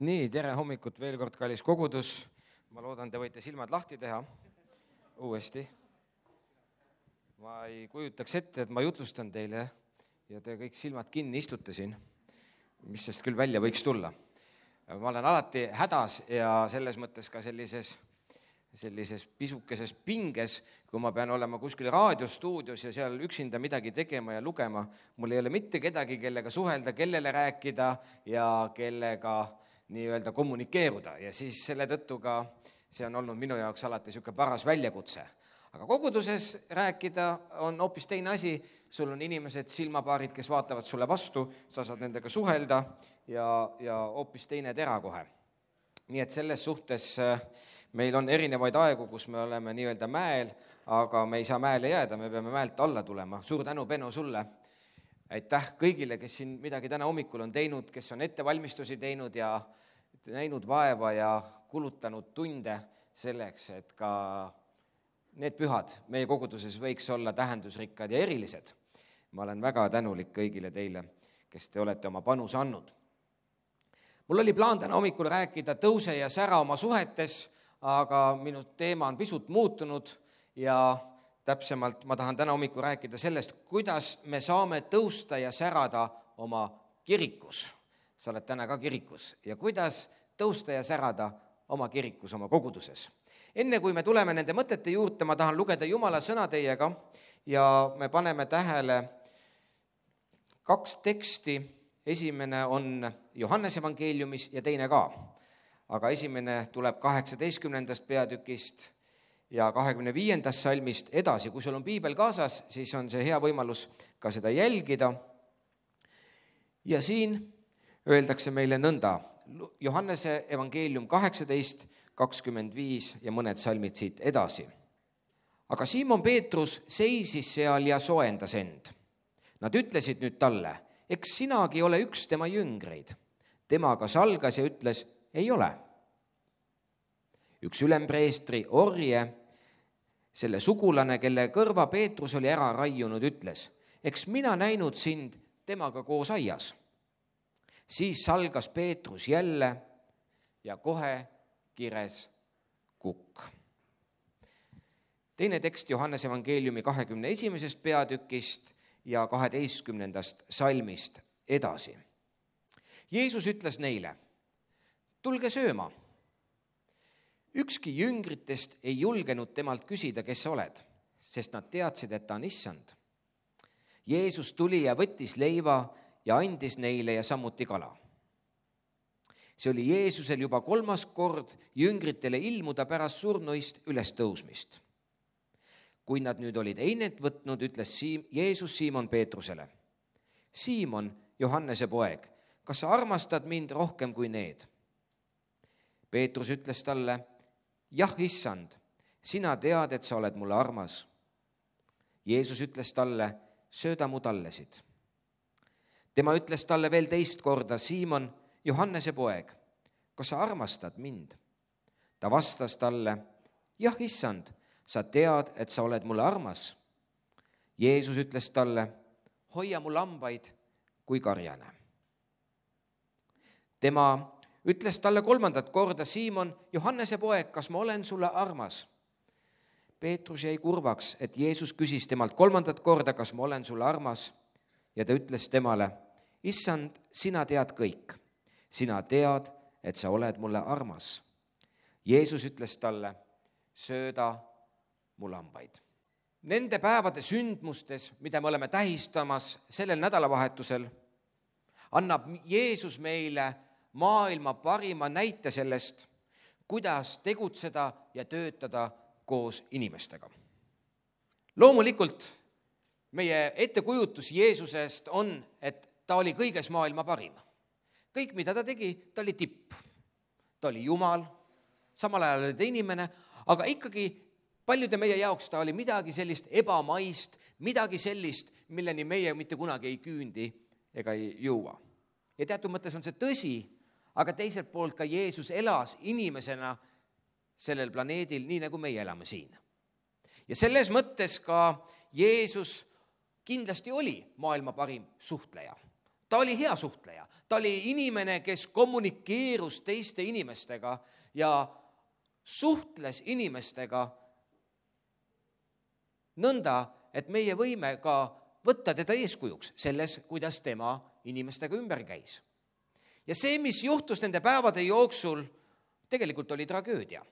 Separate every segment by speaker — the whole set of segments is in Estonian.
Speaker 1: Nii, tere hommikut veel kord, kallis kogudus. Ma loodan, te võite silmad lahti teha uuesti. Ma ei kujutaks ette, et ma jutlustan teile ja te kõik silmad kinni istute siin, mis sest küll välja võiks tulla. Ma olen alati hädas ja selles mõttes ka sellises pisukeses pinges, kui ma pean olema kuskil raadiostuudios ja seal üksinda midagi tegema ja lugema. Mul ei ole mitte kedagi, kellega suhelda, kellele rääkida ja kellega nii-öelda kommunikeeruda. Ja siis selle tõttu ka see on olnud minu jaoks alati niisugune paras väljakutse. Aga koguduses rääkida on hoopis teine asi. Sul on inimesed, silmapaarid, kes vaatavad sulle vastu, sa saad nendega suhelda ja hoopis teine tera kohe. Nii et selles suhtes meil on erinevaid aegu, kus me oleme nii-öelda mäel, aga me ei saa mäele jääda, me peame mäelt alla tulema. Suur tänu, Beno, sulle. Aitäh kõigile, kes siin midagi täna hommikul on teinud, kes on ettevalmistusi teinud ja näinud vaeva ja kulutanud tunde selleks, et ka need pühad meie koguduses võiks olla tähendusrikkad ja erilised. Ma olen väga tänulik kõigile teile, kes te olete oma panuse andnud. Mul oli plaan täna hommikul rääkida tõuse ja sära oma suhetes, aga minu teema on pisut muutunud ja täpsemalt ma tahan täna hommikul rääkida sellest, kuidas me saame tõusta ja särada oma kirikus. Sa oled täna ka kirikus. Ja kuidas tõusta ja särada oma kirikus, oma koguduses. Enne kui me tuleme nende mõtete juurde, ma tahan lugeda Jumala sõna teiega ja me paneme tähele 2 teksti. Esimene on Johannese evangeeliumis ja teine ka. Aga esimene tuleb 18. peatükist ja 25. salmist edasi. Kui sul on piibel kaasas, siis on see hea võimalus ka seda jälgida. Ja siin öeldakse meile nõnda. Johannese evangeelium 18, 25 ja mõned salmid siit edasi. Aga Siimon Peetrus seisis seal ja soojendas end. Nad ütlesid nüüd talle, eks sinagi ole üks tema jüngreid. Temaga salgas ja ütles, ei ole. Üks ülempreestri orje, selle sugulane, kelle kõrva Peetrus oli ära raiunud, ütles, eks mina näinud sind temaga koos aias. Siis salgas Peetrus jälle ja kohe kires kukk. Teine tekst Johannese evangeeliumi 21. peatükist ja 12. salmist edasi. Jeesus ütles neile, tulge sööma. Ükski jüngritest ei julgenud temalt küsida, kes sa oled, sest nad teadsid, et ta on issand. Jeesus tuli ja võttis leiva ja andis neile ja samuti kala. See oli Jeesusel juba 3. kord jüngritele ilmuda pärast surnuist üles tõusmist. Kui nad nüüd olid einet võtnud, ütles Jeesus Siimon Peetrusele, Siimon, Johannese poeg, kas sa armastad mind rohkem kui need? Peetrus ütles talle, jah, issand, sina tead, et sa oled mulle armas. Jeesus ütles talle, sööda mu tallesid. Tema ütles talle veel teist korda, Siimon, Johannese poeg, kas sa armastad mind? Ta vastas talle, jah, issand, sa tead, et sa oled mulle armas. Jeesus ütles talle, hoia mu lambaid kui karjane. Tema ütles talle 3. korda, Siimon, Johannese poeg, kas ma olen sulle armas? Peetrus jäi kurvaks, et Jeesus küsis temalt 3. korda, kas ma olen sulle armas? Ja ta ütles temale, issand, sina tead kõik. Sina tead, et sa oled mulle armas. Jeesus ütles talle, sööda mu lambaid. Nende päevade sündmustes, mida me oleme tähistamas sellel nädalavahetusel, annab Jeesus meile maailma parima näite sellest, kuidas tegutseda ja töötada koos inimestega. Loomulikult meie ettekujutus Jeesusest on, et ta oli kõiges maailma parim. Kõik, mida ta tegi, ta oli tipp. Ta oli Jumal, samal ajal oli ta inimene, aga ikkagi paljude meie jaoks ta oli midagi sellist ebamaist, midagi sellist, milleni meie mitte kunagi ei küündi ega ei jõua. Ja teatud mõttes on see tõsi, aga teiselt poolt ka Jeesus elas inimesena sellel planeedil, nii nagu meie elame siin. Ja selles mõttes ka Jeesus kindlasti oli maailma parim suhtleja. Ta oli hea suhtleja, ta oli inimene, kes kommunikeerus teiste inimestega ja suhtles inimestega nõnda, et meie võime ka võtta teda eeskujuks selles, kuidas tema inimestega ümber käis. Ja see, mis juhtus nende päevade jooksul, tegelikult oli tragöödia.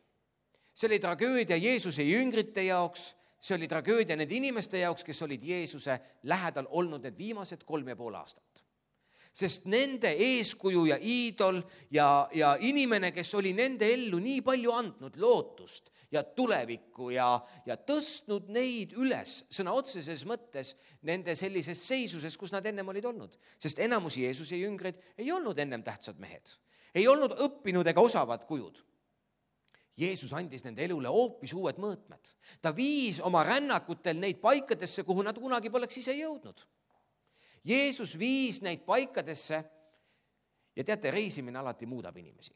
Speaker 1: See oli tragöödia Jeesuse jüngrite jaoks, see oli tragöödia nende inimeste jaoks, kes olid Jeesuse lähedal olnud need viimased 3,5 aastat. Sest nende eeskuju ja iidol ja inimene, kes oli nende ellu nii palju andnud lootust ja tulevikku ja tõstnud neid üles sõna otseses mõttes nende sellises seisuses, kus nad ennem olid olnud. Sest enamus Jeesuse jüngrid ei olnud ennem tähtsad mehed, ei olnud õppinud ega osavad kujud. Jeesus andis nende elule hoopis uued mõõtmed. Ta viis oma rännakutel neid paikadesse, kuhu nad kunagi poleks ise jõudnud. Jeesus viis neid paikadesse ja teate, reisimine alati muudab inimesi.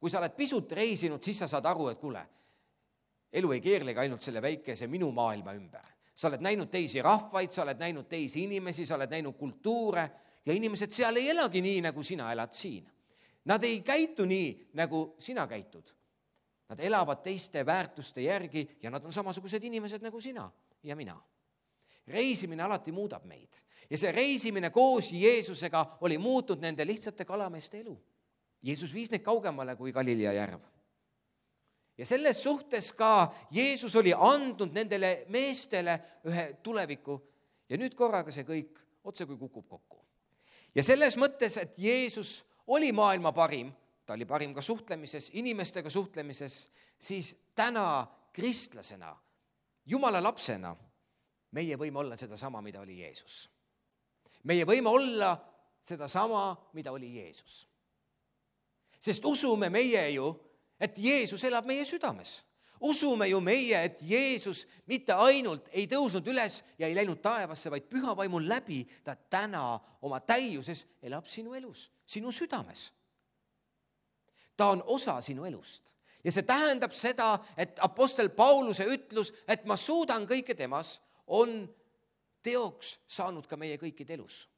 Speaker 1: Kui sa oled pisut reisinud, siis sa saad aru, et kuule, elu ei keerlegi ainult selle väikese minu maailma ümber. Sa oled näinud teisi rahvaid, sa oled näinud teisi inimesi, sa oled näinud kultuure ja inimesed seal ei elagi nii, nagu sina elad siin. Nad ei käitu nii, nagu sina käitud. Nad elavad teiste väärtuste järgi ja nad on samasugused inimesed nagu sina ja mina. Reisimine alati muudab meid. Ja see reisimine koos Jeesusega oli muutnud nende lihtsate kalameeste elu. Jeesus viis neid kaugemale kui Galilea järv. Ja selles suhtes ka Jeesus oli andnud nendele meestele ühe tuleviku ja nüüd korraga see kõik otse kui kukub kokku. Ja selles mõttes, et Jeesus oli maailma parim, ta oli parim ka suhtlemises, inimestega suhtlemises, siis täna kristlasena, Jumala lapsena, meie võime olla seda sama, mida oli Jeesus. Meie võime olla seda sama, mida oli Jeesus. Sest usume meie ju, et Jeesus elab meie südames. Usume ju meie, et Jeesus mitte ainult ei tõusnud üles ja ei läinud taevasse, vaid püha vaimul läbi ta täna oma täiuses elab sinu elus, sinu südames. Ta on osa sinu elust. Ja see tähendab seda, et apostel Pauluse ütlus, et ma suudan kõike temas, on teoks saanud ka meie kõikide elus.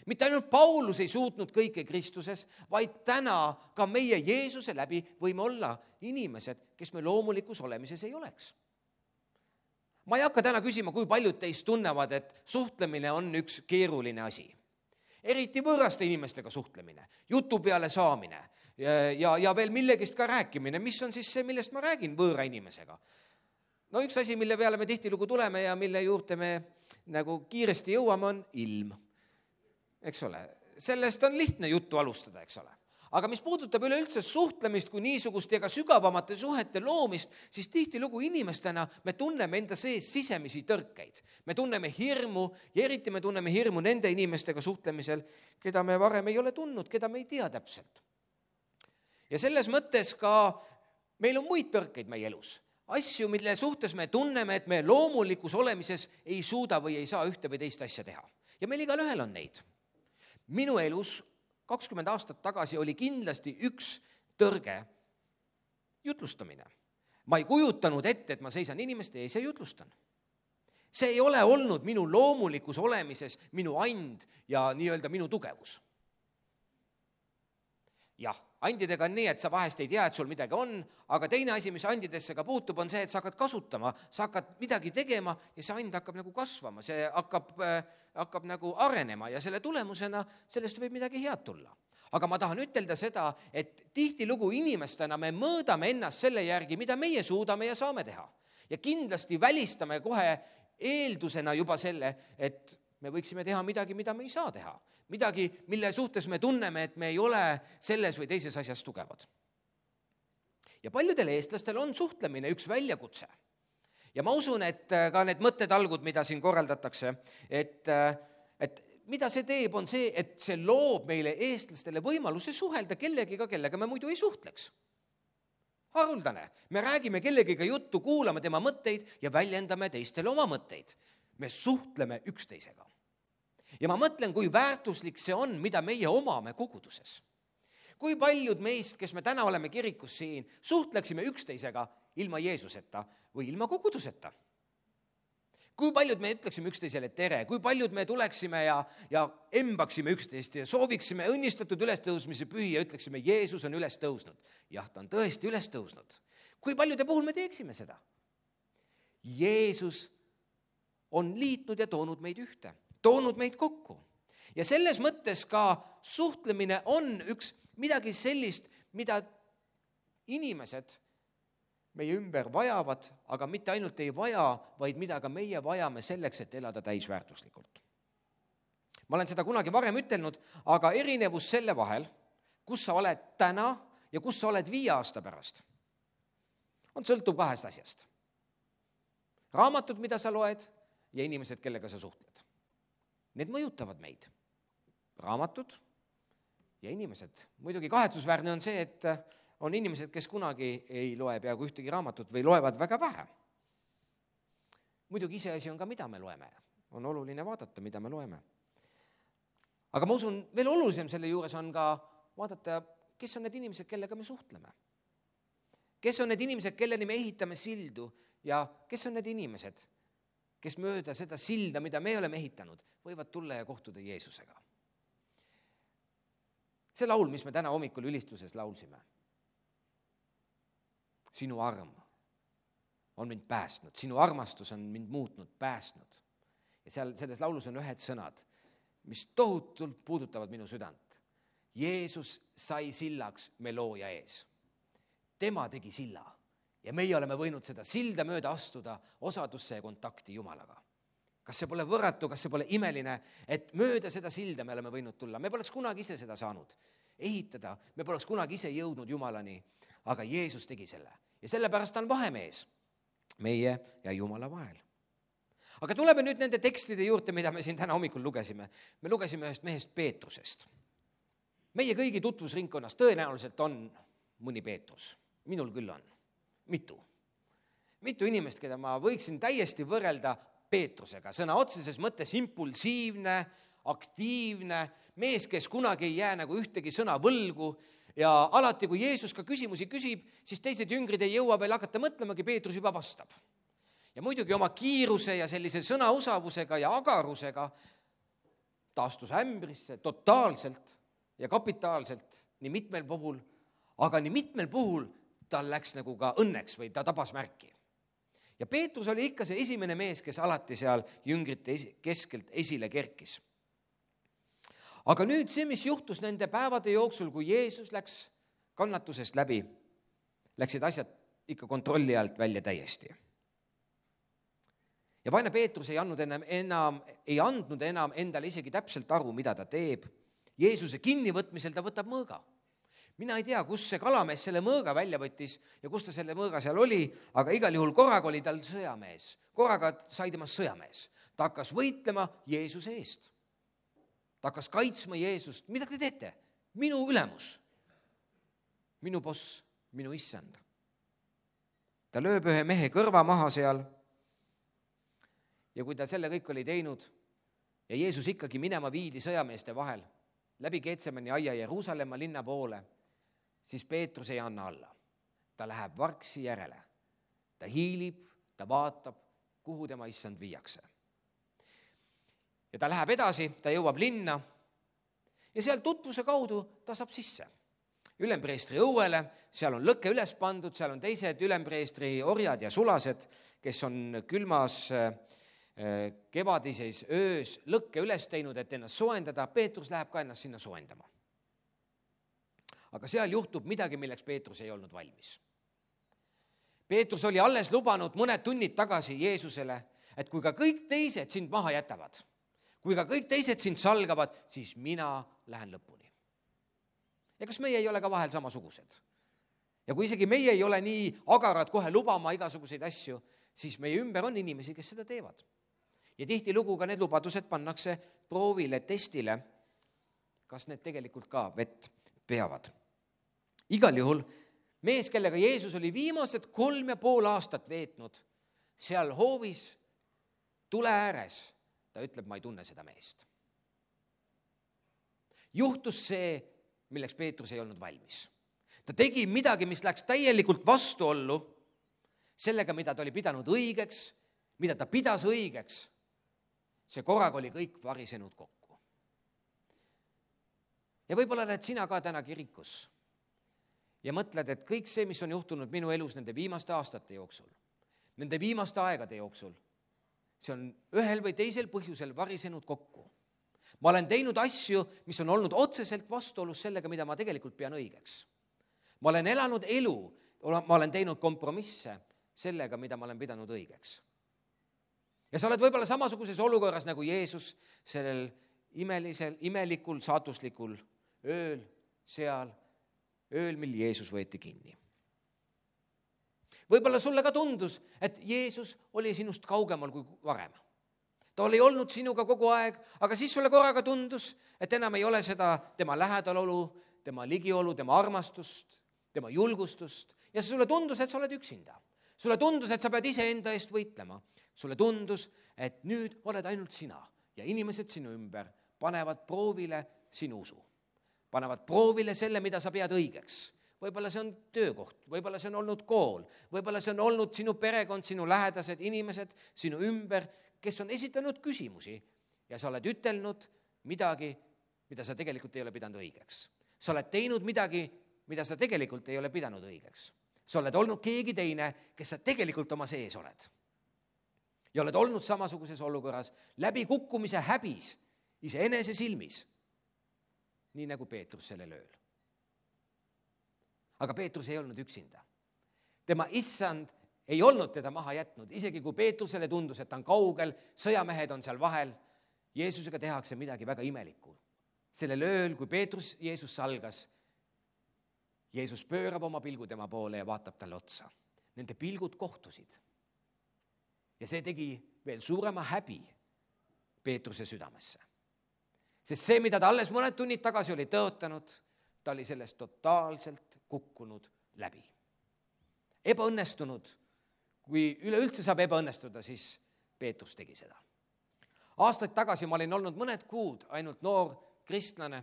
Speaker 1: Mitte ainult Paulus ei suutnud kõike Kristuses, vaid täna ka meie Jeesuse läbi võime olla inimesed, kes me loomulikus olemises ei oleks. Ma ei hakka täna küsima, kui paljud teist tunnevad, et suhtlemine on üks keeruline asi. Eriti võõraste inimestega suhtlemine, jutu peale saamine ja veel millegist ka rääkimine. Mis on siis see, millest ma räägin võõra inimesega? No üks asi, mille peale me tihtilugu tuleme ja mille juurde me nagu kiiresti jõuame, on ilm. Eks ole, sellest on lihtne juttu alustada, eks ole. Aga mis puudutab üleüldse suhtlemist kui niisugust ja ka sügavamate suhete loomist, siis tihtilugu inimestena me tunneme enda sees sisemisi tõrkeid. Me tunneme hirmu ja eriti me tunneme hirmu nende inimestega suhtlemisel, keda me varem ei ole tundnud, keda me ei tea täpselt. Ja selles mõttes ka meil on muid tõrkeid meie elus. Asju, mille suhtes me tunneme, et me loomulikus olemises ei suuda või ei saa ühte või teist asja teha. Ja meil igal ühel on neid. Minu elus 20 aastat tagasi oli kindlasti üks tõrge jutlustamine. Ma ei kujutanud ette, et ma seisan inimeste ees ja jutlustan. See ei ole olnud minu loomulikus olemises minu and ja nii-öelda minu tugevus. Jah, andidega on nii, et sa vahest ei tea, et sul midagi on, aga teine asi, mis andidesse ka puutub, on see, et sa hakkad kasutama, sa hakkad midagi tegema ja see and hakkab nagu kasvama, see hakkab nagu arenema ja selle tulemusena sellest võib midagi head tulla. Aga ma tahan ütelda seda, et tihtilugu inimestena me mõõdame ennast selle järgi, mida meie suudame ja saame teha. Ja kindlasti välistame kohe eeldusena juba selle, et me võiksime teha midagi, mida me ei saa teha. Midagi, mille suhtes me tunneme, et me ei ole selles või teises asjas tugevad. Ja paljudel eestlastel on suhtlemine üks väljakutse. Ja ma usun, et ka need mõttetalgud, mida siin korraldatakse, et mida see teeb, on see, et see loob meile eestlastele võimaluse suhelda kellegiga, kellega me muidu ei suhtleks. Haruldane. Me räägime kellegiga juttu, kuulame tema mõtteid ja väljendame teistele oma mõtteid. Me suhtleme üksteisega. Ja ma mõtlen, kui väärtuslik see on, mida meie omame koguduses. Kui paljud meist, kes me täna oleme kirikus siin, suhtleksime üksteisega ilma Jeesuseta või ilma koguduseta. Kui paljud me ütleksime üksteisele tere, kui paljud me tuleksime ja embaksime üksteist ja sooviksime õnnistatud ülestõusmise pühi ja ütleksime, Jeesus on üles tõusnud. Jah, ta on tõesti üles tõusnud. Kui paljude puhul me teeksime seda? Jeesus on liitnud ja toonud meid ühte, toonud meid kokku. Ja selles mõttes ka suhtlemine on üks midagi sellist, mida inimesed meie ümber vajavad, aga mitte ainult ei vaja, vaid mida ka meie vajame selleks, et elada täisväärtuslikult. Ma olen seda kunagi varem ütelnud, aga erinevus selle vahel, kus sa oled täna ja kus sa oled 5 aasta pärast, sõltub 2 asjast. Raamatud, mida sa loed, ja inimesed, kellega sa suhtled. Need mõjutavad meid. Raamatud ja inimesed. Muidugi kahetsusväärne on see, et on inimesed, kes kunagi ei loe peaaegu ühtegi raamatut või loevad väga vähe. Muidugi iseasi on ka, mida me loeme. On oluline vaadata, mida me loeme. Aga ma usun, veel olulisem selle juures on ka vaadata, kes on need inimesed, kellega me suhtleme. Kes on need inimesed, kelleni me ehitame sildu ja kes on need inimesed, kes mööda seda silda, mida me oleme ehitanud, võivad tulla ja kohtuda Jeesusega. See laul, mis me täna hommikul ülistuses laulsime. Sinu arm on mind päästnud, sinu armastus on mind muutnud, päästnud. Ja selles laulus on ühed sõnad, mis tohutult puudutavad minu südant. Jeesus sai sillaks me looja ees. Tema tegi silla ja meie oleme võinud seda silda mööda astuda osadusse ja kontakti Jumalaga. Kas see pole võrratu, kas see pole imeline, et mööda seda silda me oleme võinud tulla. Me poleks kunagi ise seda saanud ehitada, me poleks kunagi ise jõudnud Jumalani, aga Jeesus tegi selle. Ja sellepärast on vahemees meie ja Jumala vahel. Aga tuleme nüüd nende tekstide juurde, mida me siin täna hommikul lugesime. Me lugesime ühest mehest Peetrusest. Meie kõigi tutvusringkonnas tõenäoliselt on mõni Peetrus. Minul küll on. Mitu inimest, keda ma võiksin täiesti võrrelda Peetrusega. Sõna otseses mõttes impulsiivne, aktiivne, mees, kes kunagi ei jää nagu ühtegi sõna võlgu ja alati, kui Jeesus ka küsimusi küsib, siis teised jüngrid ei jõua veel hakata mõtlemagi, Peetrus juba vastab. Ja muidugi oma kiiruse ja sellise sõnausavusega ja agarusega ta astus ämbrisse totaalselt ja kapitaalselt nii mitmel puhul, aga nii mitmel puhul tal läks nagu ka õnneks või ta tabas märki. Ja Peetrus oli ikka see esimene mees, kes alati seal jüngrite keskelt esile kerkis. Aga nüüd see, mis juhtus nende päevade jooksul, kui Jeesus läks kannatusest läbi, läksid asjad ikka kontrolli alt välja täiesti. Ja vaene Peetrus ei andnud enam endale isegi täpselt aru, mida ta teeb. Jeesuse kinnivõtmisel ta võtab mõõga. Mina ei tea, kus see kalamees selle mõõga välja võttis ja kus ta selle mõõga seal oli, aga igal juhul korraga oli tal sõjamees. Korraga sai temast sõjamees. Ta hakkas võitlema Jeesuse eest. Ta hakkas kaitsma Jeesust. Mida te teete? Minu ülemus. Minu boss, minu issand. Ta lööb ühe mehe kõrva maha seal. Ja kui ta selle kõik oli teinud ja Jeesus ikkagi minema viidi sõjameeste vahel läbi Getsemani aia Jeruusalemma linna poole, siis Peetrus ei anna alla. Ta läheb varksi järele. Ta hiilib, ta vaatab, kuhu tema issand viiakse. Ja ta läheb edasi, ta jõuab linna ja seal tutvuse kaudu ta saab sisse. Ülempreestri õuele, seal on lõkke üles pandud, seal on teised ülempreestri orjad ja sulased, kes on külmas kevadises öös lõkke üles teinud, et ennast soendada. Peetrus läheb ka ennast sinna soendama. Aga seal juhtub midagi, milleks Peetrus ei olnud valmis. Peetrus oli alles lubanud mõned tunnid tagasi Jeesusele, et kui ka kõik teised sind maha jätavad, kui ka kõik teised sind salgavad, siis mina lähen lõpuni. Ja kas meie ei ole ka vahel samasugused? Ja kui isegi meie ei ole nii agarad kohe lubama igasuguseid asju, siis meie ümber on inimesi, kes seda teevad. Ja tihtilugu ka need lubadused pannakse proovile, testile, kas need tegelikult ka vett peavad. Igal juhul mees, kellega Jeesus oli viimased 3,5 aastat veetnud, seal hoovis tule ääres, ta ütleb, ma ei tunne seda meest. Juhtus see, milleks Peetrus ei olnud valmis. Ta tegi midagi, mis läks täielikult vastuollu sellega, mida ta oli pidanud õigeks, mida ta pidas õigeks, see korraga oli kõik varisenud kokku. Ja võib-olla oled sina ka täna kirikus ja mõtled, et kõik see, mis on juhtunud minu elus nende viimaste aastate jooksul, nende viimaste aegade jooksul, see on ühel või teisel põhjusel varisenud kokku. Ma olen teinud asju, mis on olnud otseselt vastuolus sellega, mida ma tegelikult pean õigeks. Ma olen elanud elu, ma olen teinud kompromisse sellega, mida ma olen pidanud õigeks. Ja sa oled võib-olla samasuguses olukorras nagu Jeesus sellel imelikul, saatuslikul ööl seal, ööl, mil Jeesus võeti kinni. Võib-olla sulle ka tundus, et Jeesus oli sinust kaugemal kui varem. Ta oli olnud sinuga kogu aeg, aga siis sulle korraga tundus, et enam ei ole seda tema lähedalolu, tema ligiolu, tema armastust, tema julgustust ja sulle tundus, et sa oled üksinda. Sulle tundus, et sa pead iseenda eest võitlema. Sulle tundus, et nüüd oled ainult sina ja inimesed sinu ümber panevad proovile sinu usu. Panevad proovile selle, mida sa pead õigeks. Võib-olla see on töökoht, võib-olla see on olnud kool, võib-olla see on olnud sinu perekond, sinu lähedased inimesed sinu ümber, kes on esitanud küsimusi ja sa oled ütelnud midagi, mida sa tegelikult ei ole pidanud õigeks. Sa oled teinud midagi, mida sa tegelikult ei ole pidanud õigeks. Sa oled olnud keegi teine, kes sa tegelikult oma sees oled. Ja oled olnud samasuguses olukorras läbi kukkumise häbis iseenese silmis, nii nagu Peetrus sellel ööl. Aga Peetrus ei olnud üksinda. Tema issand ei olnud teda maha jätnud, isegi kui Peetrusele tundus, et ta on kaugel, sõjamehed on seal vahel, Jeesusega tehakse midagi väga imelikku. Sellel ööl, kui Peetrus Jeesus salgas, Jeesus pöörab oma pilgu tema poole ja vaatab talle otsa. Nende pilgud kohtusid. Ja see tegi veel suurema häbi Peetruse südamesse. Sest see, mida ta alles mõned tunnid tagasi oli tõotanud, ta oli sellest totaalselt kukkunud läbi. Ebaõnnestunud, kui üleüldse saab ebaõnnestuda, siis Peetrus tegi seda. Aastaid tagasi ma olin olnud mõned kuud ainult noor kristlane.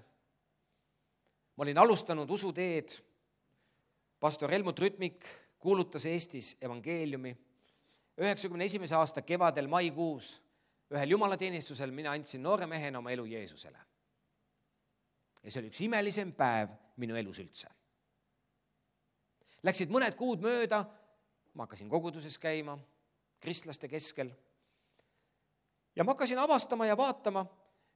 Speaker 1: Ma olin alustanud usuteed. Pastor Helmut Rütmik kuulutas Eestis evangeeliumi. 91. aasta kevadel maikuus ühel jumalateenistusel mina andsin noore mehena oma elu Jeesusele. Ja see oli üks imelisem päev minu elus üldse. Läksid mõned kuud mööda, ma hakkasin koguduses käima, kristlaste keskel. Ja ma hakkasin avastama ja vaatama,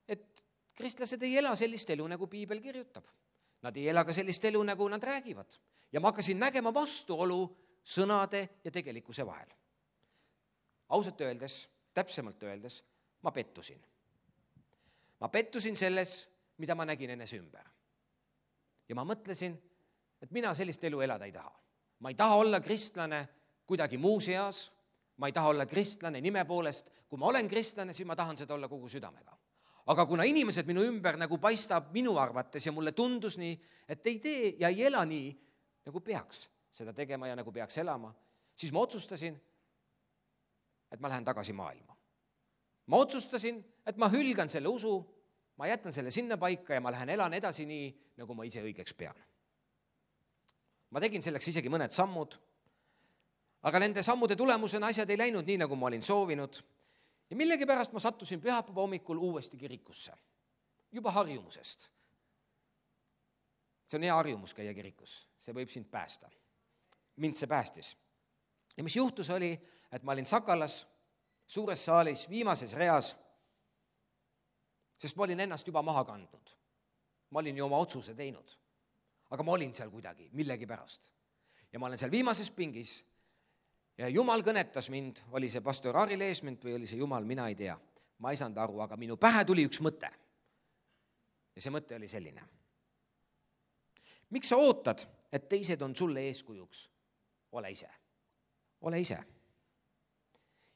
Speaker 1: et kristlased ei ela sellist elu, nagu Piibel kirjutab. Nad ei ela ka sellist elu, nagu nad räägivad. Ja ma hakkasin nägema vastuolu sõnade ja tegelikkuse vahel. Ausalt öeldes, täpsemalt öeldes, ma pettusin. Ma pettusin selles, mida ma nägin enese ümber. Ja ma mõtlesin, et mina sellist elu elada ei taha. Ma ei taha olla kristlane kuidagi muu seas, ma ei taha olla kristlane nime poolest. Kui ma olen kristlane, siis ma tahan seda olla kogu südamega. Aga kuna inimesed minu ümber nagu paistab minu arvates ja mulle tundus nii, et ei tee ja ei ela nii, nagu peaks seda tegema ja nagu peaks elama, siis ma otsustasin, et ma lähen tagasi maailma. Ma otsustasin, et ma hülgan selle usu, ma jätan selle sinna paika ja ma lähen elan edasi nii, nagu ma ise õigeks pean. Ma tegin selleks isegi mõned sammud, aga nende sammude tulemusena asjad ei läinud nii, nagu ma olin soovinud. Ja millegipärast ma sattusin pühapäeva hommikul uuesti kirikusse, juba harjumusest. See on hea harjumus käia kirikus, see võib sind päästa. Mind see päästis. Ja mis juhtus oli, et ma olin Sakalas, suures saalis, viimases reas, sest ma olin ennast juba maha kandnud. Ma olin ju oma otsuse teinud, aga ma olin seal kuidagi, millegi pärast. Ja ma olen seal viimases pingis ja Jumal kõnetas mind, oli see pastor Ari Leesment või oli see Jumal, mina ei tea. Ma ei saanud aru, aga minu pähe tuli üks mõte. Ja see mõte oli selline. Miks sa ootad, et teised on sulle eeskujuks? Ole ise. Ole ise.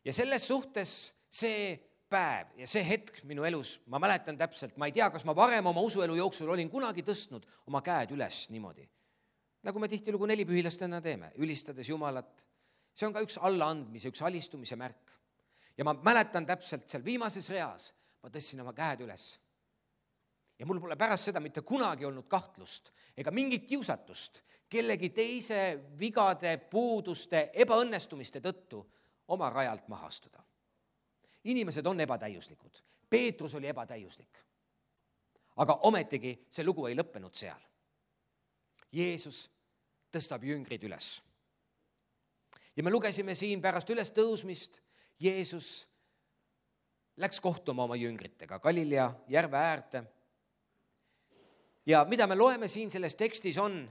Speaker 1: Ja selles suhtes see päev ja see hetk minu elus, ma mäletan täpselt, ma ei tea, kas ma varem oma usuelu jooksul olin kunagi tõstnud oma käed üles niimoodi. Nagu me tihtilugu nelipühilastena teeme, ülistades Jumalat. See on ka üks allaandmise, üks alistumise märk. Ja ma mäletan täpselt seal viimases reas, ma tõstsin oma käed üles. Ja mul pole pärast seda mitte kunagi olnud kahtlust ega mingit kiusatust kellegi teise vigade, puuduste, ebaõnnestumiste tõttu oma rajalt maha astuda. inimesed on ebatäiuslikud. Peetrus oli ebatäiuslik. Aga ometigi see lugu ei lõppenud seal. Jeesus tõstab jüngrid üles. Ja me lugesime siin pärast üles tõusmist, Jeesus läks kohtuma oma jüngritega Galilea järve äärde. Ja mida me loeme siin selles tekstis on,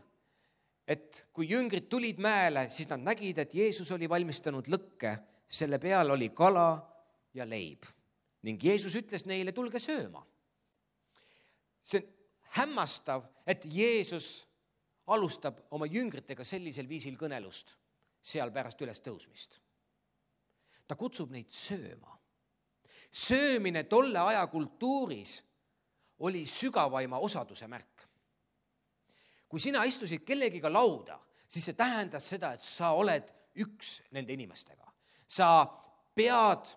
Speaker 1: et kui jüngrid tulid mäele, siis nad nägid, et Jeesus oli valmistanud lõkke, selle peal oli kala ja leib. Ning Jeesus ütles neile, tulge sööma. See on hämmastav, et Jeesus alustab oma jüngritega sellisel viisil kõnelust seal pärast üles tõusmist. Ta kutsub neid sööma. Söömine tolle aja kultuuris oli sügavaima osaduse märk. Kui sina istusid kellegiga lauda, siis see tähendas seda, et sa oled üks nende inimestega. Sa pead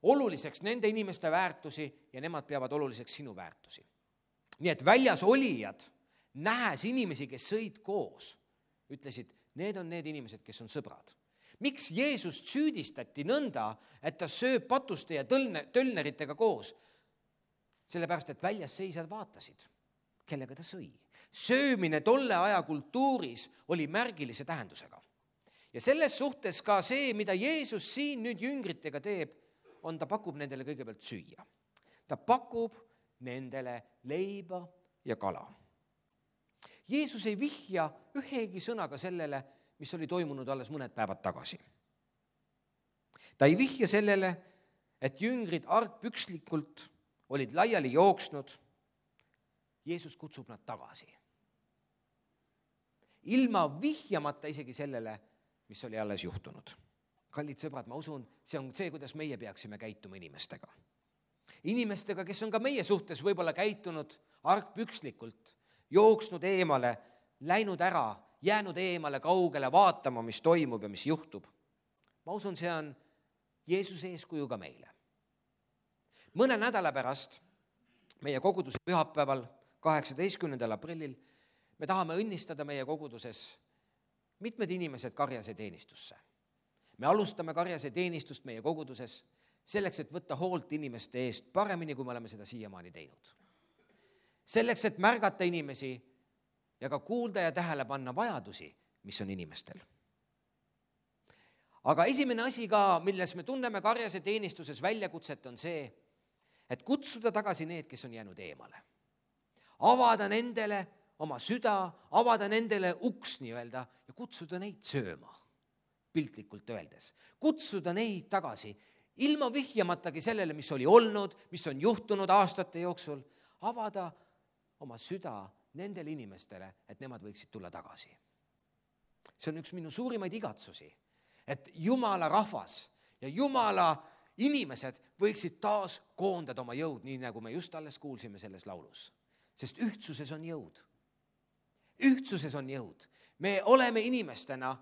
Speaker 1: oluliseks nende inimeste väärtusi ja nemad peavad oluliseks sinu väärtusi. Nii et väljas olijad, nähes inimesi, kes sõid koos, ütlesid, need on need inimesed, kes on sõbrad. Miks Jeesust süüdistati nõnda, et ta sööb patuste ja tölneritega koos? Sellepärast, et väljas seisjad vaatasid, kellega ta sõi. Söömine tolle aja kultuuris oli märgilise tähendusega. Ja selles suhtes ka see, mida Jeesus siin nüüd jüngritega teeb, on ta pakub nendele kõigepealt süüa. Ta pakub nendele leiba ja kala. Jeesus ei vihja ühegi sõnaga sellele, mis oli toimunud alles mõned päevad tagasi. Ta ei vihja sellele, et jüngrid argpükslikult olid laiali jooksnud. Jeesus kutsub nad tagasi. Ilma vihjamata isegi sellele, mis oli alles juhtunud. Kallid sõbrad, ma usun, see on see, kuidas meie peaksime käituma inimestega. Inimestega, kes on ka meie suhtes võib-olla käitunud argpükslikult, jooksnud eemale, läinud ära, jäänud eemale kaugele vaatama, mis toimub ja mis juhtub. Ma usun, see on Jeesuse eeskuju ka meile. Mõne nädala pärast, meie koguduse pühapäeval, 18. aprillil, me tahame õnnistada meie koguduses mitmed inimesed karjase teenistusse. Me alustame karjase teenistust meie koguduses selleks, et võtta hoolt inimeste eest paremini, kui me oleme seda siiamaani teinud. Selleks, et märgata inimesi ja ka kuulda ja tähele panna vajadusi, mis on inimestel. Aga esimene asi ka, milles me tunneme karjase teenistuses väljakutset, on see, et kutsuda tagasi need, kes on jäänud eemale. Avada nendele oma süda, avada nendele uks nii-öelda ja kutsuda neid sööma, piltlikult öeldes. Kutsuda neid tagasi, ilma vihjamatagi sellele, mis oli olnud, mis on juhtunud aastate jooksul, avada oma süda nendele inimestele, et nemad võiksid tulla tagasi. See on üks minu suurimaid igatsusi, et Jumala rahvas ja Jumala inimesed võiksid taas koondada oma jõud, nii nagu me just alles kuulsime selles laulus. Sest ühtsuses on jõud. Ühtsuses on jõud. Me oleme inimestena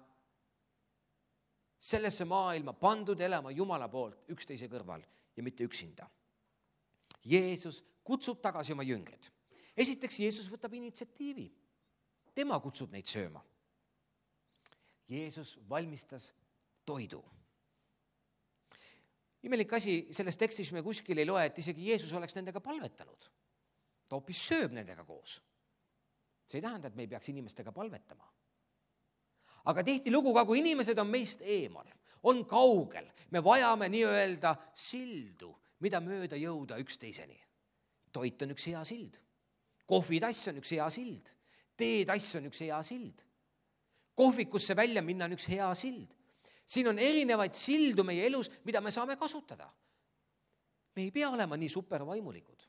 Speaker 1: sellesse maailma pandud elama Jumala poolt üksteise kõrval ja mitte üksinda. Jeesus kutsub tagasi oma jüngrid. Esiteks, Jeesus võtab initsiatiivi. Tema kutsub neid sööma. Jeesus valmistas toidu. Imelik asi, selles tekstis me kuskil ei loe, et isegi Jeesus oleks nendega palvetanud. Ta hoopis sööb nendega koos. See ei tähenda, et me ei peaks inimestega palvetama. Aga tihti lugu, kui inimesed on meist eemal, on kaugel, me vajame nii-öelda sildu, mida mööda jõuda üksteiseni. Toit on üks hea sild. Kohvitass on üks hea sild. Teetass on üks hea sild. Kohvikusse välja minna on üks hea sild. Siin on erinevaid sildu meie elus, mida me saame kasutada. Me ei pea olema nii supervaimulikud.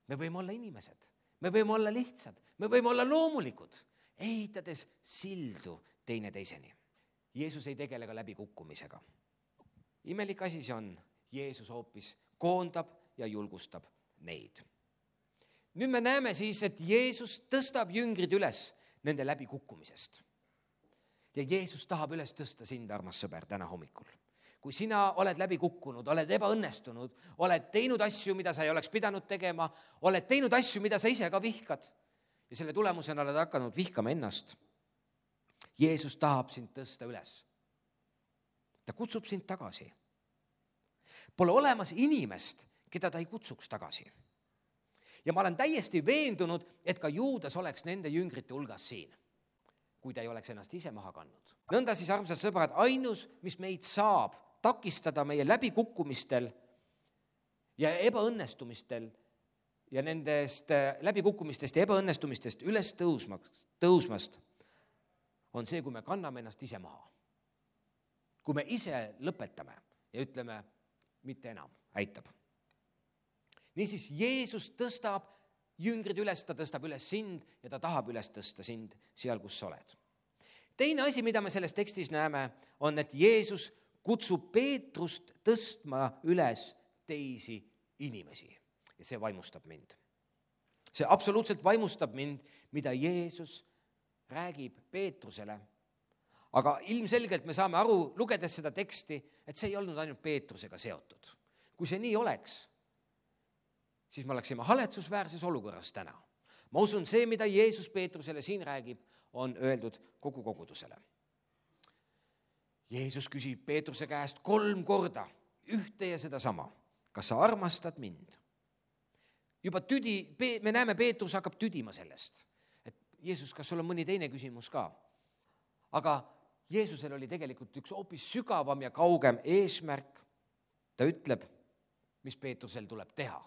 Speaker 1: Me võime olla inimesed. Me võime olla lihtsad. Me võime olla loomulikud, ehitades sildu teine teiseni. Jeesus ei tegele ka läbi kukkumisega. Imelik asi see on. Jeesus hoopis koondab ja julgustab neid. Nüüd me näeme siis, et Jeesus tõstab jüngrid üles nende läbi kukkumisest. Ja Jeesus tahab üles tõsta sind, armas sõber, täna hommikul. Kui sina oled läbi kukkunud, oled ebaõnnestunud, oled teinud asju, mida sa ei oleks pidanud tegema, oled teinud asju, mida sa ise ka vihkad ja selle tulemusena oled hakanud vihkama ennast. Jeesus tahab sind tõsta üles. Ta kutsub sind tagasi. Pole olemas inimest, keda ta ei kutsuks tagasi. Ja ma olen täiesti veendunud, et ka Juudas oleks nende jüngrite hulgas siin, kui ta ei oleks ennast ise maha kandnud. Nõnda siis, armsad sõbrad, ainus, mis meid saab takistada meie läbikukkumistel ja ebaõnnestumistel ja nendest läbikukkumistest ja ebaõnnestumistest üles tõusmast, on see, kui me kanname ennast ise maha. Kui me ise lõpetame ja ütleme, mitte enam, aitab. Niisiis, Jeesus tõstab jüngrid üles, ta tõstab üles sind ja ta tahab üles tõsta sind seal, kus sa oled. Teine asi, mida me selles tekstis näeme, on, et Jeesus kutsub Peetrust tõstma üles teisi inimesi. Ja see vaimustab mind. See absoluutselt vaimustab mind, mida Jeesus räägib Peetrusele. Aga ilmselgelt me saame aru, lugedes seda teksti, et see ei olnud ainult Peetrusega seotud. Kui see nii oleks, siis me oleksime haletsusväärses olukorras täna. Ma usun, see, mida Jeesus Peetrusele siin räägib, on öeldud kogu kogudusele. Jeesus küsib Peetruse käest 3 korda ühte ja seda sama. Kas sa armastad mind? Juba me näeme, Peetrus hakkab tüdima sellest. Et Jeesus, kas sul on mõni teine küsimus ka? Aga Jeesusel oli tegelikult üks hoopis sügavam ja kaugem eesmärk. Ta ütleb, mis Peetrusel tuleb teha.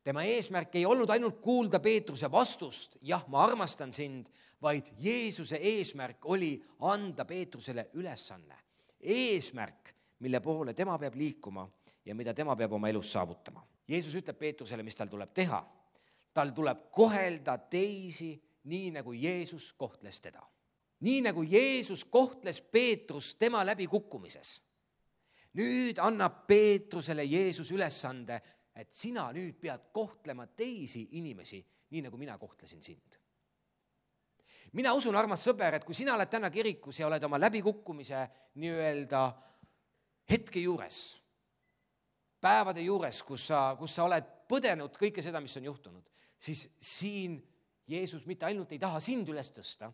Speaker 1: Tema eesmärk ei olnud ainult kuulda Peetruse vastust, jah, ma armastan sind, vaid Jeesuse eesmärk oli anda Peetrusele ülesanne. Eesmärk, mille poole tema peab liikuma ja mida tema peab oma elus saavutama. Jeesus ütleb Peetrusele, mis tal tuleb teha. Tal tuleb kohelda teisi nii, nagu Jeesus kohtles teda. Nii, nagu Jeesus kohtles Peetrus tema läbikukkumises. Nüüd annab Peetrusele Jeesus ülesande, et sina nüüd pead kohtlema teisi inimesi, nii nagu mina kohtlesin sind. Mina usun, armas sõber, et kui sina oled täna kirikus ja oled oma läbikukkumise nii-öelda hetke juures, päevade juures, kus sa oled põdenud kõike seda, mis on juhtunud, siis siin Jeesus mitte ainult ei taha sind üles tõsta,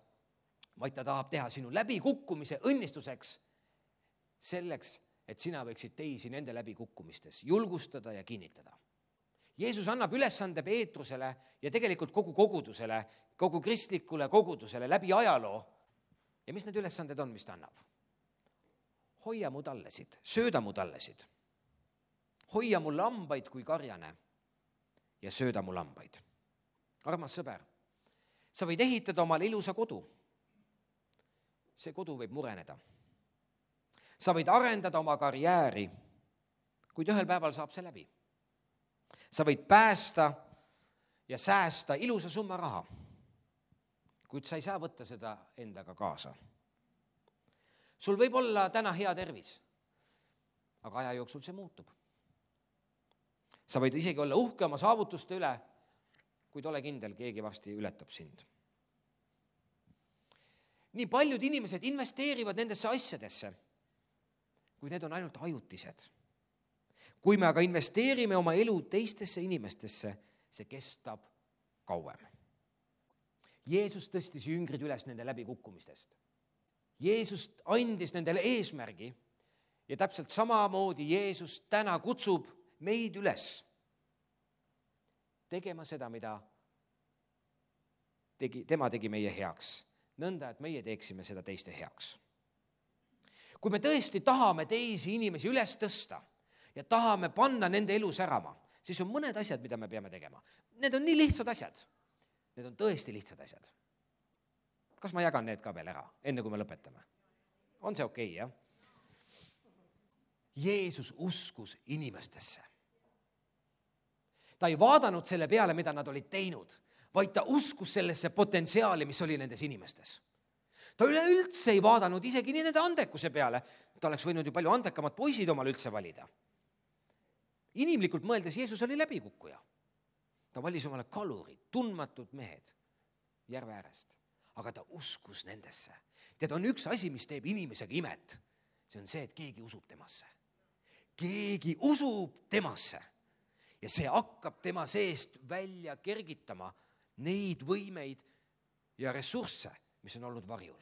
Speaker 1: vaid ta tahab teha sinu läbikukkumise õnnistuseks selleks, et sina võiksid teisi nende läbikukkumistes julgustada ja kinnitada. Jeesus annab ülesande Peetrusele ja tegelikult kogu kogudusele, kogu kristlikule kogudusele läbi ajaloo. Ja mis need ülesanded on, mis ta annab? Hoia mu tallesid, sööda mu tallesid. Hoia mu lambaid kui karjane ja sööda mu lambaid. Armas sõber, sa võid ehitada omale ilusa kodu. See kodu võib mureneda. Sa võid arendada oma karjääri, kuid ühel päeval saab see läbi. Sa võid päästa ja säästa ilusa summa raha, kuid sa ei saa võtta seda endaga kaasa. Sul võib olla täna hea tervis, aga aja jooksul see muutub. Sa võid isegi olla uhke oma saavutuste üle, kuid ole kindel, keegi vasti ületab sind. Nii paljud inimesed investeerivad nendesse asjadesse, kuid need on ainult ajutised. Kui me aga investeerime oma elu teistesse inimestesse, see kestab kauem. Jeesus tõstis jüngrid üles nende läbikukkumistest. Jeesus andis nendele eesmärgi ja täpselt samamoodi Jeesus täna kutsub meid üles tegema seda, mida tema tegi meie heaks. Nõnda, et meie teeksime seda teiste heaks. Kui me tõesti tahame teisi inimesi üles tõsta ja tahame panna nende elu särama, siis on mõned asjad, mida me peame tegema. Need on nii lihtsad asjad. Need on tõesti lihtsad asjad. Kas ma jagan need ka veel ära, enne kui me lõpetame? On see okei, jah? Jeesus uskus inimestesse. Ta ei vaadanud selle peale, mida nad olid teinud, vaid ta uskus sellesse potentsiaali, mis oli nendes inimestes. Ta üleüldse ei vaadanud isegi nii nende andekuse peale. Ta oleks võinud ju palju andekamad poisid omal üldse valida. Inimlikult mõeldes Jeesus oli läbikukkuja. Ta valis omale kalurid, tundmatud mehed järve äärest. Aga ta uskus nendesse. Tead, on üks asi, mis teeb inimesega imet. See on see, et keegi usub temasse. Keegi usub temasse. Ja see hakkab tema seest välja kergitama neid võimeid ja ressursse, mis on olnud varjul.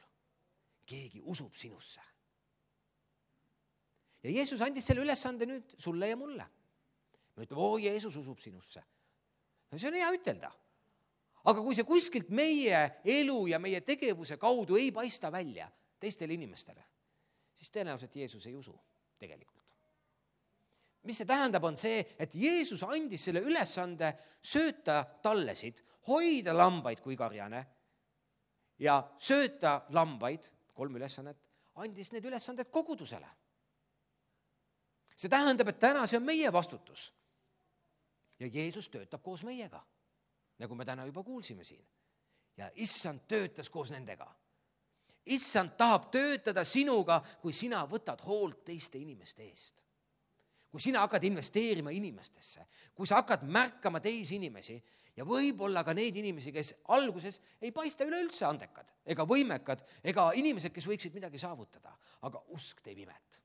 Speaker 1: Keegi usub sinusse. ja Jeesus andis selle ülesande nüüd sulle ja mulle. Me ütleme, Jeesus usub sinusse. See on hea ütelda. Aga kui see kuskilt meie elu ja meie tegevuse kaudu ei paista välja teistele inimestele, siis tõenäoliselt Jeesus ei usu tegelikult. Mis see tähendab, on see, et Jeesus andis selle ülesande sööta tallesid, hoida lambaid kui karjane ja sööta lambaid, 3 ülesannet, andis need ülesanded kogudusele. See tähendab, et täna see on meie vastutus. Ja Jeesus töötab koos meiega, nagu me täna juba kuulsime siin. Ja issand töötas koos nendega. Issand tahab töötada sinuga, kui sina võtad hoolt teiste inimeste eest. Kui sina hakkad investeerima inimestesse, kui sa hakkad märkama teisi inimesi ja võib-olla ka neid inimesi, kes alguses ei paista üleüldse andekad ega võimekad ega inimesed, kes võiksid midagi saavutada. Aga usk teeb imet.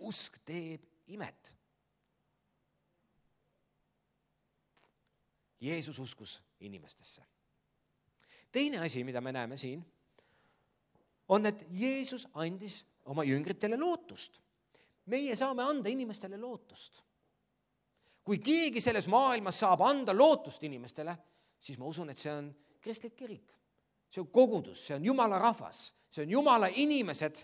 Speaker 1: Usk teeb imet. Jeesus uskus inimestesse. Teine asi, mida me näeme siin, on, et Jeesus andis oma jüngritele lootust. Meie saame anda inimestele lootust. Kui keegi selles maailmas saab anda lootust inimestele, siis ma usun, et see on kristlik kirik. See on kogudus, see on Jumala rahvas, see on Jumala inimesed,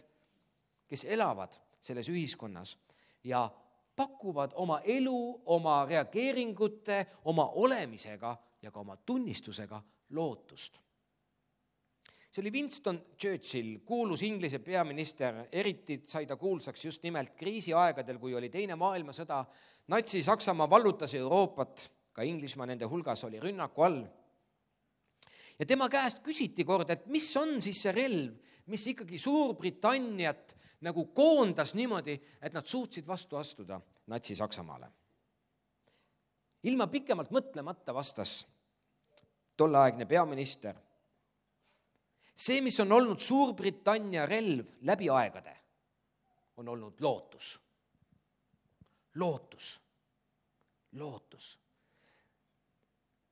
Speaker 1: kes elavad selles ühiskonnas ja pakuvad oma elu, oma reageeringute, oma olemisega ja ka oma tunnistusega lootust. See oli Winston Churchill, kuulus Inglise peaminister, eriti sai ta kuulsaks just nimelt kriisiaegadel, kui oli teine maailmasõda. Natsi-Saksamaa vallutas Euroopat, ka Inglismaa nende hulgas oli rünnaku all. Ja tema käest küsiti kord, et mis on siis see relv, mis ikkagi Suurbritanniat nagu koondas niimoodi, et nad suutsid vastu astuda Natsi-Saksamaale. Ilma pikemalt mõtlemata vastas tolleaegne peaminister, see, mis on olnud Suurbritannia relv läbi aegade, on olnud lootus. Lootus. Lootus.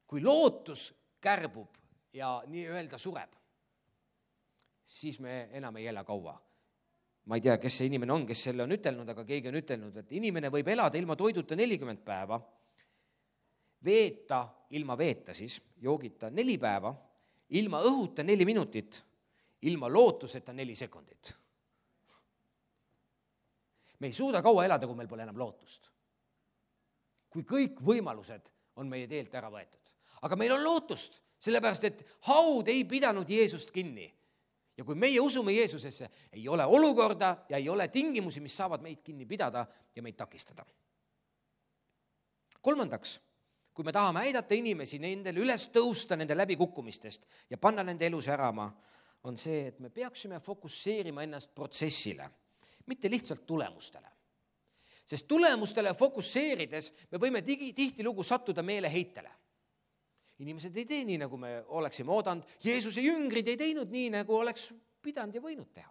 Speaker 1: Kui lootus kärbub ja nii öelda sureb, siis me enam ei ela kaua. Ma ei tea, kes see inimene on, kes selle on ütelnud, aga keegi on ütelnud, et inimene võib elada ilma toiduta 40 päeva, veeta ilma veeta siis, joogita 4 päeva, ilma õhuta 4 minutit, ilma lootuseta 4 sekundit. Me ei suuda kaua elada, kui meil pole enam lootust. Kui kõik võimalused on meie teelt ära võetud. Aga meil on lootust, sellepärast et haud ei pidanud Jeesust kinni. Ja kui meie usume Jeesusesse, ei ole olukorda ja ei ole tingimusi, mis saavad meid kinni pidada ja meid takistada. 3. Kui me tahame aidata inimesi nendel üles tõusta nende läbikukkumistest ja panna nende elus ärama, on see, et me peaksime fokusseerima ennast protsessile, mitte lihtsalt tulemustele. Sest tulemustele fokusseerides me võime tihtilugu sattuda meeleheitele. Inimesed ei tee nii, nagu me oleksime oodanud. Jeesuse jüngrid ei teinud nii, nagu oleks pidanud ja võinud teha.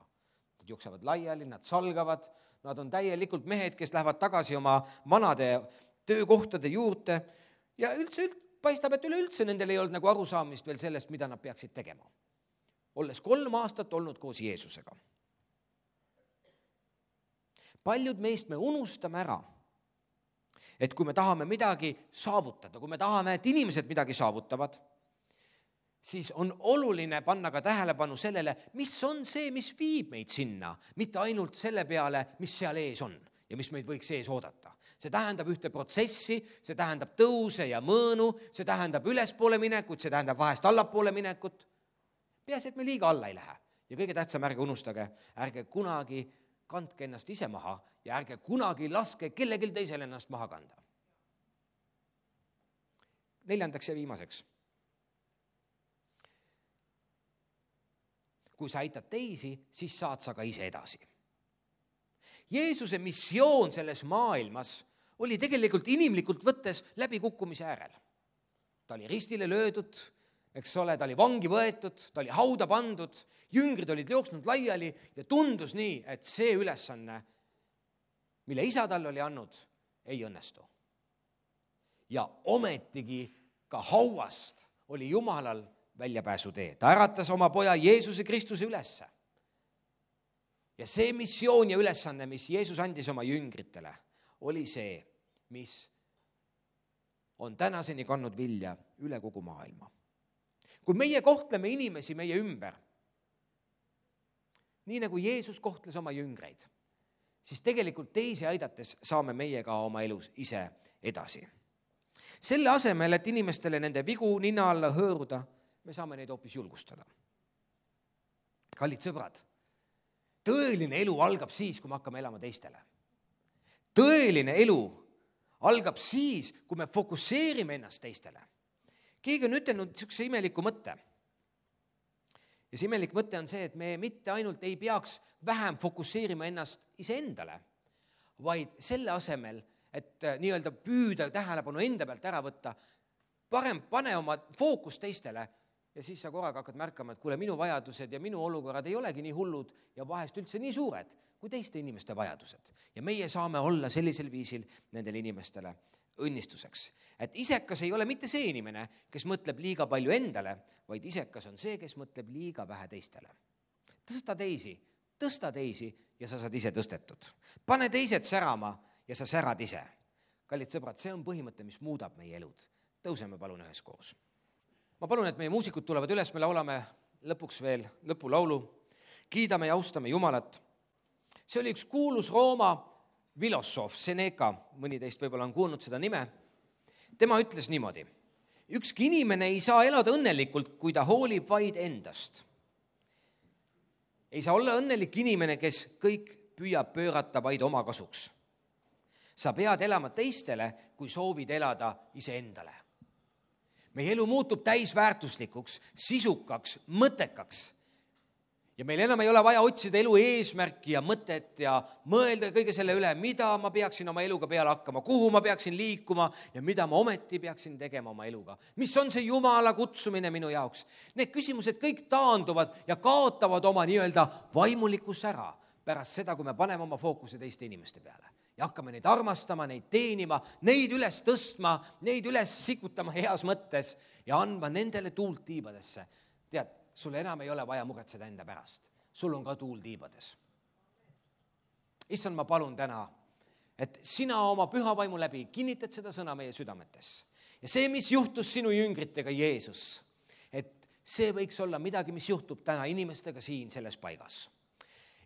Speaker 1: Nad jooksevad laiali, nad salgavad, nad on täielikult mehed, kes lähevad tagasi oma vanade töökohtade juurde. Ja paistab, et üleüldse nendel ei olnud nagu arusaamist veel sellest, mida nad peaksid tegema. Olles 3 aastat olnud koos Jeesusega. Paljud meist me unustame ära, et kui me tahame midagi saavutada, kui me tahame, et inimesed midagi saavutavad, siis on oluline panna ka tähelepanu sellele, mis on see, mis viib meid sinna, mitte ainult selle peale, mis seal ees on ja mis meid võiks ees oodata. See tähendab ühte protsessi, see tähendab tõuse ja mõõnu, see tähendab ülespoole minekut, see tähendab vahest allapoole minekut. Peaasi, et me liiga alla ei lähe. Ja kõige tähtsam, ärge unustage, ärge kunagi kandke ennast ise maha ja ärge kunagi laske kellelgi teisel ennast maha kanda. 4. ja viimaseks. Kui sa aitad teisi, siis saad sa ka ise edasi. Jeesuse missioon selles maailmas oli tegelikult inimlikult võttes läbikukkumise äärel. Ta oli ristile löödud, eks ole, ta oli vangi võetud, ta oli hauda pandud, jüngrid olid jooksnud laiali ja tundus nii, et see ülesanne, mille isa talle oli andnud, ei õnnestu. Ja ometigi ka hauast oli Jumalal väljapääsu tee. Ta äratas oma poja Jeesuse Kristuse ülesse. Ja see missioon ja ülesanne, mis Jeesus andis oma jüngritele, oli see, mis on tänaseni kandnud vilja üle kogu maailma. Kui meie kohtleme inimesi meie ümber, nii nagu Jeesus kohtles oma jüngreid, siis tegelikult teisi aidates saame meie ka oma elus ise edasi. Selle asemel, et inimestele nende vigu nina alla hõõruda, me saame neid hoopis julgustada. Kallid sõbrad, tõeline elu algab siis, kui me hakkame elama teistele. Tõeline elu algab siis, kui me fokusseerime ennast teistele. Keegi on ütelnud niisuguse imeliku mõtte. Ja see imelik mõte on see, et me mitte ainult ei peaks vähem fokusseerima ennast iseendale, vaid selle asemel, et nii-öelda püüda tähelepanu enda pealt ära võtta, parem pane oma fookus teistele ja siis sa korraga hakkad märkama, et kuule, minu vajadused ja minu olukorrad ei olegi nii hullud ja vahest üldse nii suured kui teiste inimeste vajadused. Ja meie saame olla sellisel viisil nendele inimestele õnnistuseks. Et isekas ei ole mitte see inimene, kes mõtleb liiga palju endale, vaid isekas on see, kes mõtleb liiga vähe teistele. Tõsta teisi ja sa saad ise tõstetud. Pane teised särama ja sa särad ise. Kallid sõbrad, see on põhimõte, mis muudab meie elud. Tõuseme palun üheskoos. Ma palun, et meie muusikud tulevad üles, me laulame lõpuks veel lõpulaulu. Kiidame ja austame Jumalat. See oli üks kuulus Rooma filosoof Seneca, mõni teist võib-olla on kuulnud seda nime. Tema ütles niimoodi: ükski inimene ei saa elada õnnelikult, kui ta hoolib vaid endast. Ei saa olla õnnelik inimene, kes kõik püüab pöörata vaid oma kasuks. Sa pead elama teistele, kui soovid elada iseendale. Meie elu muutub täisväärtuslikuks, sisukaks, mõttekaks. Ja meil enam ei ole vaja otsida elu eesmärki ja mõtet ja mõelda kõige selle üle, mida ma peaksin oma eluga peale hakkama, kuhu ma peaksin liikuma ja mida ma ometi peaksin tegema oma eluga. Mis on see Jumala kutsumine minu jaoks? Need küsimused kõik taanduvad ja kaotavad oma nii-öelda vaimulikus ära pärast seda, kui me paneme oma fookuse teiste inimeste peale. Ja hakkame neid armastama, neid teenima, neid üles tõstma, neid üles sikutama heas mõttes ja andma nendele tuult tiibadesse. Tead, sul enam ei ole vaja muretseda enda pärast. Sul on ka tuul tiibades. Issand, ma palun täna, et sina oma püha vaimu läbi kinnitad seda sõna meie südametes. Ja see, mis juhtus sinu jüngritega, Jeesus, et see võiks olla midagi, mis juhtub täna inimestega siin selles paigas.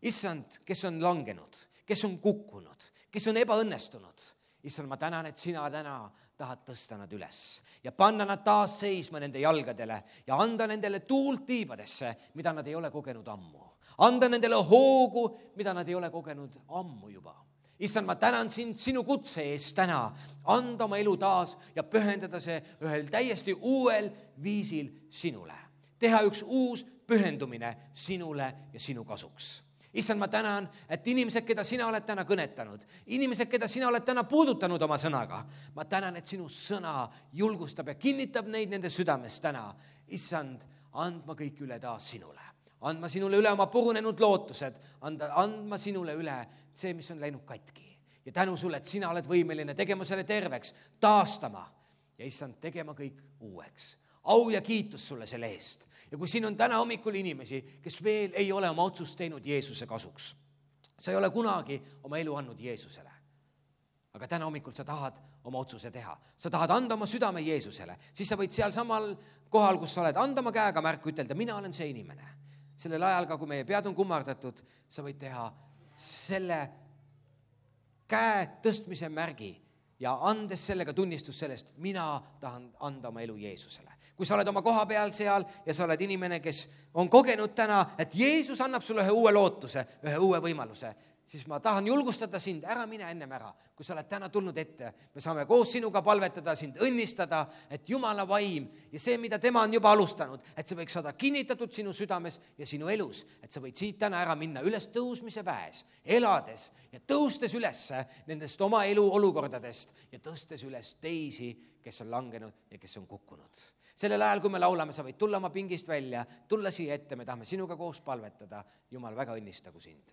Speaker 1: Issand, kes on langenud, kes on kukkunud, kes on ebaõnnestunud. Issand, ma tänan, et sina täna tahad tõsta nad üles ja panna nad taas seisma nende jalgadele ja anda nendele tuult tiibadesse, mida nad ei ole kogenud ammu. Anda nendele hoogu, mida nad ei ole kogenud ammu juba. Issand, ma tänan sind sinu kutse eest täna, anda oma elu taas ja pühendada see ühel täiesti uuel viisil sinule. Teha üks uus pühendumine sinule ja sinu kasuks. Issand, ma tänan, et inimesed, keda sina oled täna kõnetanud, inimesed, keda sina oled täna puudutanud oma sõnaga, ma tänan, et sinu sõna julgustab ja kinnitab neid nende südames täna. Issand, andma kõik üle taas sinule. Andma sinule üle oma purunenud lootused, andma sinule üle see, mis on läinud katki. Ja tänu sulle, et sina oled võimeline tegema selle terveks, taastama ja issand, tegema kõik uueks. Au ja kiitus sulle selle eest. Ja kui siin on täna hommikul inimesi, kes veel ei ole oma otsust teinud Jeesuse kasuks, sa ei ole kunagi oma elu andnud Jeesusele. Aga täna hommikul sa tahad oma otsuse teha. Sa tahad anda oma südame Jeesusele. Siis sa võid seal samal kohal, kus sa oled, anda oma käega märku, ütelda, mina olen see inimene. Sellel ajal ka, kui meie pead on kummardatud, sa võid teha selle käe tõstmise märgi ja andes sellega tunnistus sellest, mina tahan anda oma elu Jeesusele. Kui sa oled oma koha peal seal ja sa oled inimene, kes on kogenud täna, et Jeesus annab sulle ühe uue lootuse, ühe uue võimaluse, siis ma tahan julgustada sind, ära mine ennem ära. Kui sa oled täna tulnud ette, me saame koos sinuga palvetada, sind õnnistada, et Jumala vaim ja see, mida tema on juba alustanud, et see võiks saada kinnitatud sinu südames ja sinu elus, et sa võid siit täna ära minna üles tõusmise väes, elades ja tõustes üles nendest oma elu olukordadest ja tõstes üles teisi, kes on langenud ja kes on kukkunud. Sellel ajal, kui me laulame, sa võid tulla oma pingist välja, tulla siia ette, me tahame sinuga koos palvetada. Jumal, väga õnnistagu sind.